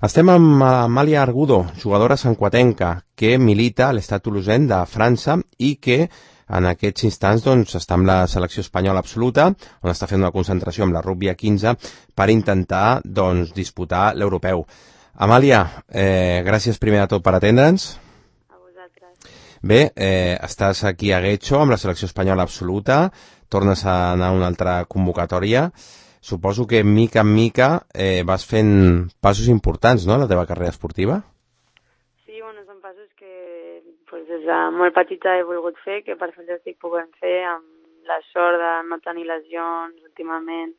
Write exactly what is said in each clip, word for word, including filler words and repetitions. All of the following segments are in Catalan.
Estem amb Amàlia Argudo, jugadora santcuatenca, que milita a l'Estat Toulousain de França i que en aquests instants doncs, està amb la selecció espanyola absoluta, on està fent una concentració amb la rugby a quinze per intentar doncs, disputar l'europeu. Amàlia, eh, gràcies primer de tot per atendre'ns. A vosaltres. Bé, eh, estàs aquí a Guecho amb la selecció espanyola absoluta, tornes a anar a una altra convocatòria. Suposo que mica en mica eh, vas fent passos importants, no?, la teva carrera esportiva? Sí, bueno, són passos que pues, des de molt petita he volgut fer, que per fi estic podent fer amb la sort de no tenir lesions últimament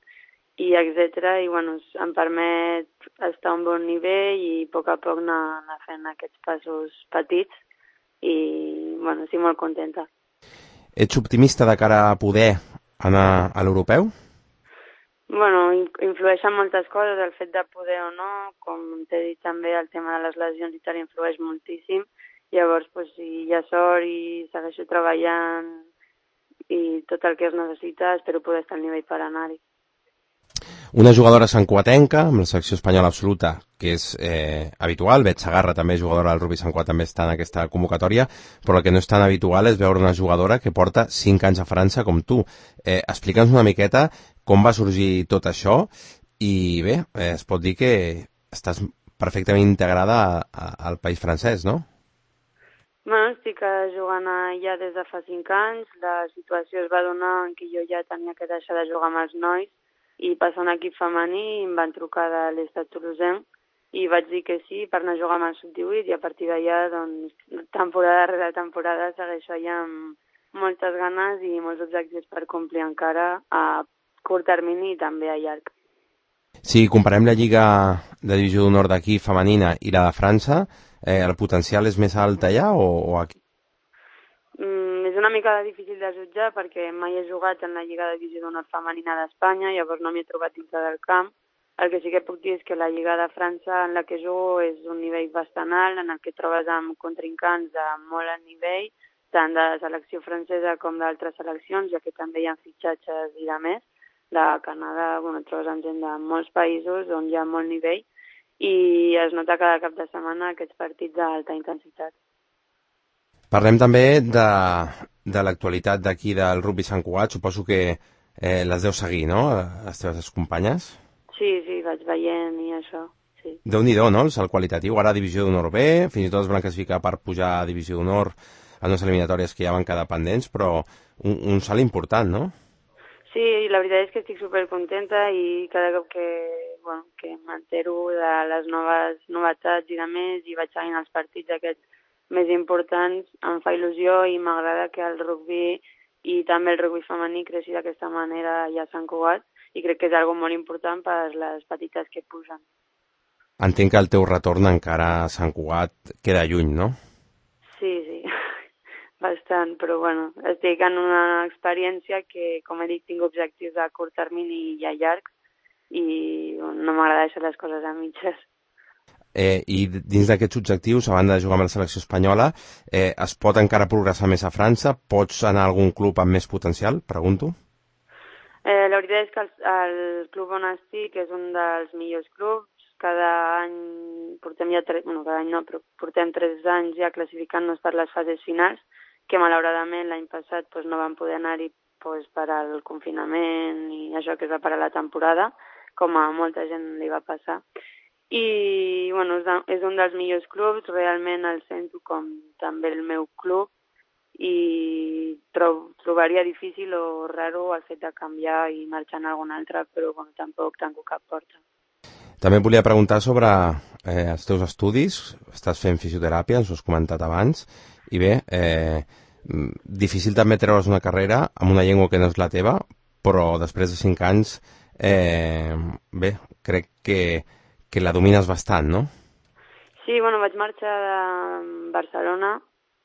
i etcètera. I bueno, em permet estar a un bon nivell i a poc a poc anar, anar fent aquests passos petits i bueno, estic molt contenta. Ets optimista de cara a poder anar a l'europeu? Bueno, influeixen moltes coses, el fet de poder o no, com t'he dit també, el tema de les lesions i tal influeix moltíssim. Llavors, pues, si hi ha sort i segueixo treballant i tot el que es necessita, espero poder estar al nivell per anar-hi. Una jugadora santcuatenca, amb la selecció espanyola absoluta, que és eh, habitual. Bet Sagarra, també jugadora del rugby santcuat, també està en aquesta convocatòria, però el que no és tan habitual és veure una jugadora que porta cinc anys a França com tu. Eh, Explica'ns una miqueta com va sorgir tot això i bé, eh, es pot dir que estàs perfectament integrada a, a, al país francès, no? Bueno, estic jugant allà des de fa cinc anys. La situació es va donar en què jo ja tenia que deixar de jugar amb els nois i passar a un equip femení. Em van trucar de l'Estat Toulousain i vaig dir que sí per anar a jugar amb el sub divuit i a partir d'allà, doncs, temporada rere temporada segueixo allà amb moltes ganes i molts objectius per complir encara a curt termini i també a llarg. Si comparem la Lliga de Divisió d'Honor d'aquí femenina i la de França, eh, el potencial és més alt allà o, o aquí? Mm, és una mica difícil de jutjar perquè mai he jugat en la Lliga de Divisió d'Honor femenina d'Espanya, llavors no m'hi he trobat dintre del camp. El que sí que puc dir és que la Lliga de França en la que jugo és un nivell bastant alt, en el que trobes amb contrincants de molt alt nivell, tant de selecció francesa com d'altres seleccions, ja que també hi ha fitxatges i de més. De Canadà, bueno, et trobes amb gent de molts països on hi ha molt nivell i es nota cada cap de setmana aquests partits d'alta intensitat. Parlem també de, de l'actualitat d'aquí del rugby Sant Cugat. Suposo que eh, les deus seguir, no?, les teves companyes? Sí, sí, vaig veient i això, sí. Déu-n'hi-do, no?, el salt qualitatiu. Ara a Divisió d'Honor B, fins i tot es van classificar per pujar a Divisió d'Honor a unes eliminatòries que ja van quedar pendents, però un, un salt important, no? Sí, la veritat és que estic supercontenta i cada cop que, bueno, que m'entero de les noves novetats i de més i vaig seguint els partits aquests més importants, em fa il·lusió i m'agrada que el rugby i també el rugby femení creixi d'aquesta manera ja a Sant Cugat i crec que és algo molt important per les petites que pugen. Entenc que el teu retorn encara a Sant Cugat queda lluny, no? Sí, sí, bastant, però bueno, estic en una experiència que, com he dit, tinc objectius a curt termini i a llarg i bueno, no m'agrada deixar les coses a mitges. Eh, I dins d'aquests objectius, a banda de jugar amb la selecció espanyola, eh, es pot encara progressar més a França? Pots anar a algun club amb més potencial? Pregunto. Eh, la veritat és que el, el club on estic és un dels millors clubs. Cada any portem ja tres, bueno, cada any no, però portem tres anys ja classificant-nos per les fases finals, que malauradament l'any passat doncs, no vam poder anar-hi doncs, per al confinament i això que es va parar la temporada, com a molta gent li va passar. I bueno, és un dels millors clubs, realment el sento com també el meu club i trob, trobaria difícil o raro el fet de canviar i marxar en algun altre, però bueno, tampoc tanco cap porta. També et volia preguntar sobre eh, els teus estudis. Estàs fent fisioteràpia, ens ho has comentat abans, i bé, eh, difícil també treure's una carrera amb una llengua que no és la teva, però després de cinc anys, eh, bé, crec que, que la domines bastant, no? Sí, bueno, vaig marxar de Barcelona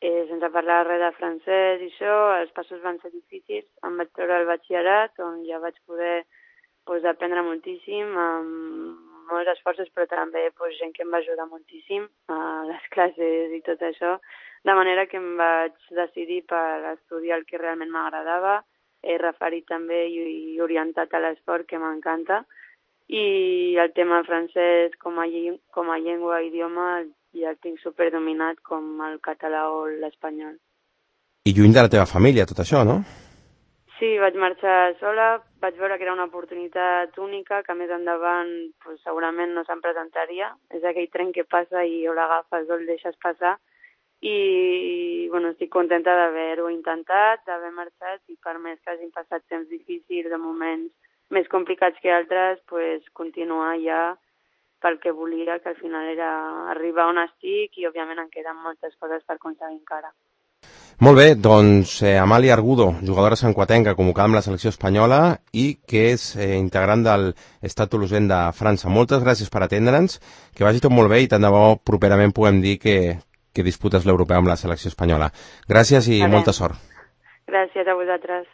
eh, sense parlar res de francès i això, els passos van ser difícils, em vaig treure el batxillerat, on ja vaig poder pues, aprendre moltíssim, amb molts esforços, però també pues, gent que em va ajudar moltíssim a les classes i tot això, de manera que em vaig decidir per estudiar el que realment m'agradava, he referit també i, i orientat a l'esport, que m'encanta, i el tema francès com a, com a llengua, idioma, ja el tinc superdominat com el català o l'espanyol. I lluny de la teva família, tot això, no? Sí, vaig marxar sola, vaig veure que era una oportunitat única, que més endavant pues, segurament no se'n presentaria. És aquell tren que passa i o l'agafes o el deixes passar. I bueno, estic contenta d'haver-ho intentat, d'haver marxat, i per més que hagin passat temps difícils, de moments més complicats que altres, pues, continuar ja pel que volia, que al final era arribar on estic, i òbviament em queden moltes coses per aconseguir encara. Molt bé, doncs eh, Amàlia Argudo, jugadora santcuatenca convocada amb la selecció espanyola i que és eh, integrant del Stade Toulousain de França. Moltes gràcies per atendre'ns, que vagi tot molt bé i tant de bo properament puguem dir que, que disputes l'europeu amb la selecció espanyola. Gràcies i molta sort. Gràcies a vosaltres.